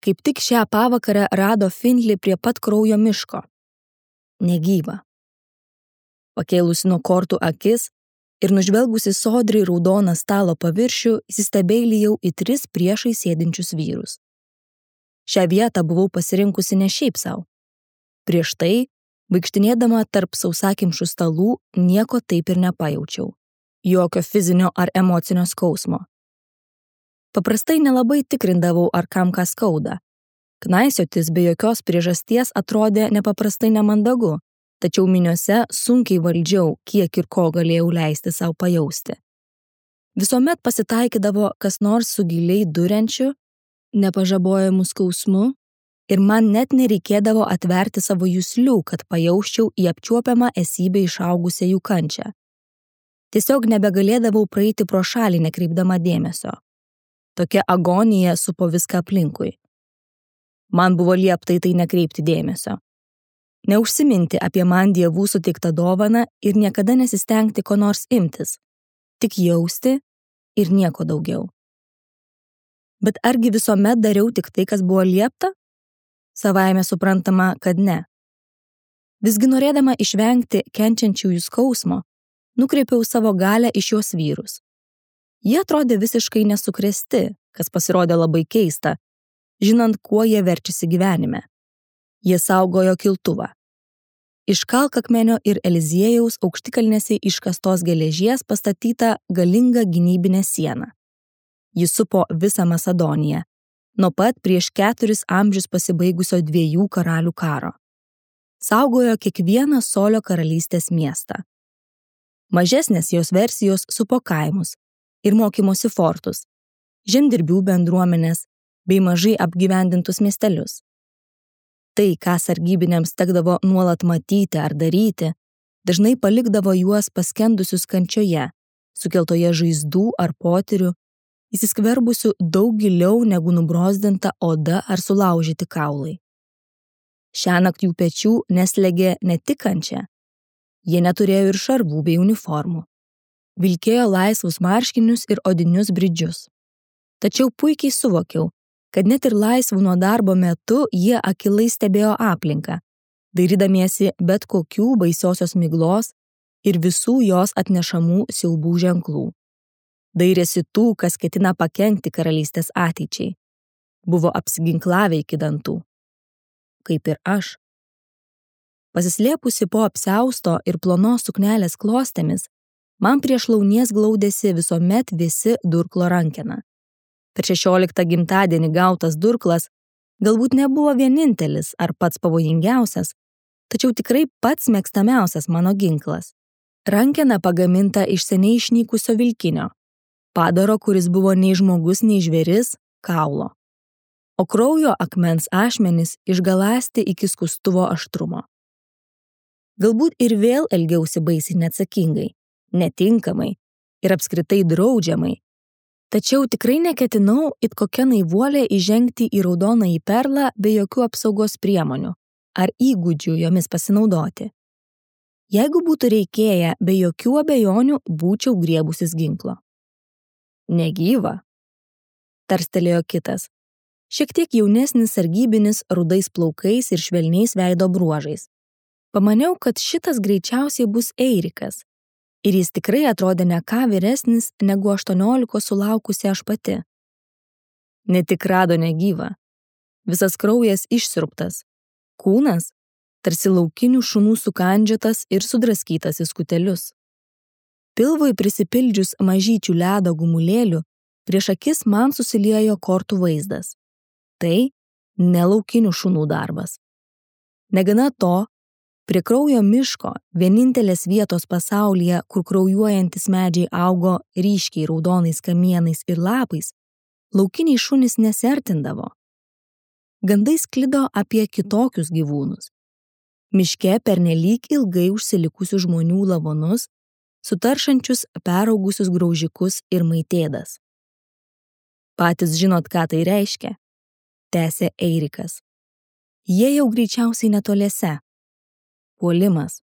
kaip tik šią pavakarę rado Findley prie pat kraujo miško. Negyva. Pakėlusi nuo kortų akis ir nužvelgusi sodriai raudoną stalo paviršių, įsistebeilijau į 3 priešai sėdinčius vyrus. Šią vietą buvau pasirinkusi ne šiaip sau. Prieš tai, vaikštinėdama tarp sausakimšų stalų, nieko taip ir nepajaučiau. Jokio fizinio ar emocinio skausmo. Paprastai nelabai tikrindavau, ar kam ką skauda. Knaisiotis be jokios priežasties atrodė nepaprastai nemandagu, tačiau miniose sunkiai valdžiau, kiek ir ko galėjau leisti savo pajausti. Visuomet pasitaikydavo kas nors su giliai duriančiu, nepažabojamu skausmu, ir man net nereikėdavo atverti savo juslių, kad pajausčiau į apčiuopiamą esybę išaugusią jų kančią. Tiesiog nebegalėdavau praeiti pro šalį nekreipdama dėmesio. Tokia agonija supo viską aplinkui. Man buvo liepta į tai nekreipti dėmesio. Neužsiminti apie man dievų suteiktą dovaną ir niekada nesistengti ko nors imtis. Tik jausti ir nieko daugiau. Bet argi visuomet dariau tik tai, kas buvo liepta? Savaime suprantama, kad ne. Visgi norėdama išvengti kenčiančiųjų skausmo, nukreipiau savo galią į šiuos vyrus. Jie atrodė visiškai nesukrėsti, kas pasirodė labai keista, žinant, kuo jie verčiasi gyvenime. Jie saugojo kiltuvą. Iš kalkakmenio ir Eliziejaus aukštikalnėse iškastos geležies pastatyta galinga gynybinė siena. Ji supo visą Macedoniją, nuo pat prieš 4 amžius pasibaigusio 2 karalių karo. Saugojo kiekvieną Solio karalystės miestą. Mažesnės jos versijos supo kaimus ir mokymosi fortus, žemdirbių bendruomenės bei mažai apgyvendintus miestelius. Tai, ką sargybiniams tekdavo nuolat matyti ar daryti, dažnai palikdavo juos paskendusius kančioje, sukeltoje žaizdų ar potyrių, įsiskverbusių daug giliau negu nubrozdinta oda ar sulaužyti kaulai. Šiąnakt jų pečių neslėgė ne tik kančia, jie neturėjo ir šarvų bei uniformų. Vilkėjo laisvus marškinius ir odinius bridžius. Tačiau puikiai suvokiau, kad net ir laisvų nuo darbo metu jie akylai stebėjo aplinką, dairydamiesi bet kokių baisiosios miglos ir visų jos atnešamų siaubų ženklų. Dairėsi tų, kas ketina pakenkti karalystės ateičiai. Buvo apsiginklavę iki dantų. Kaip ir aš. Pasislėpusi po apsiausto ir plonos suknelės klostėmis, man prieš launies glaudėsi visuomet visi durklo rankena. Per 16 gimtadienį gautas durklas galbūt nebuvo vienintelis ar pats pavojingiausias, tačiau tikrai pats mėgstamiausias mano ginklas. Rankena pagaminta iš seniai išnykusio vilkinio, padaro, kuris buvo nei žmogus, nei žvėris, kaulo. O kraujo akmens ašmenys išgalasti iki skustuvo aštrumo. Galbūt ir vėl elgiausi baisiai neatsakingai, netinkamai ir apskritai draudžiamai, tačiau tikrai neketinau it kokia naivuolė įžengti į raudonąjį perlą be jokių apsaugos priemonių ar įgūdžių jomis pasinaudoti. Jeigu būtų reikėję, be jokių abejonių būčiau griebusis ginklo. Negyva, tarstelėjo kitas, šiek tiek jaunesnis sargybinis rudais plaukais ir švelniais veido bruožais. Pamaniau, kad šitas greičiausiai bus Eirikas, ir jis tikrai atrodė ne ką vyresnis negu 18 sulaukusi aš pati. Ne tik rado negyvą, visas kraujas išsiurbtas, kūnas tarsi laukinių šunų sukandžiotas ir sudraskytas į skutelius. Pilvui prisipildžius mažyčių ledo gumulėlių, prieš akis man susiliejo kortų vaizdas. Tai ne laukinių šunų darbas. Negana to, prie kraujo miško, vienintelės vietos pasaulyje, kur kraujuojantis medžiai augo ryškiai raudonais kamienais ir lapais, laukiniai šunys nesiartindavo. Gandai sklido apie kitokius gyvūnus. Miške pernelyg ilgai užsilikusių žmonių lavonus, sutaršančius peraugusius graužikus ir maitėdas. Patys žinot, ką tai reiškia, tęsė Eirikas. Jie jau greičiausiai netoliese. Puolimas.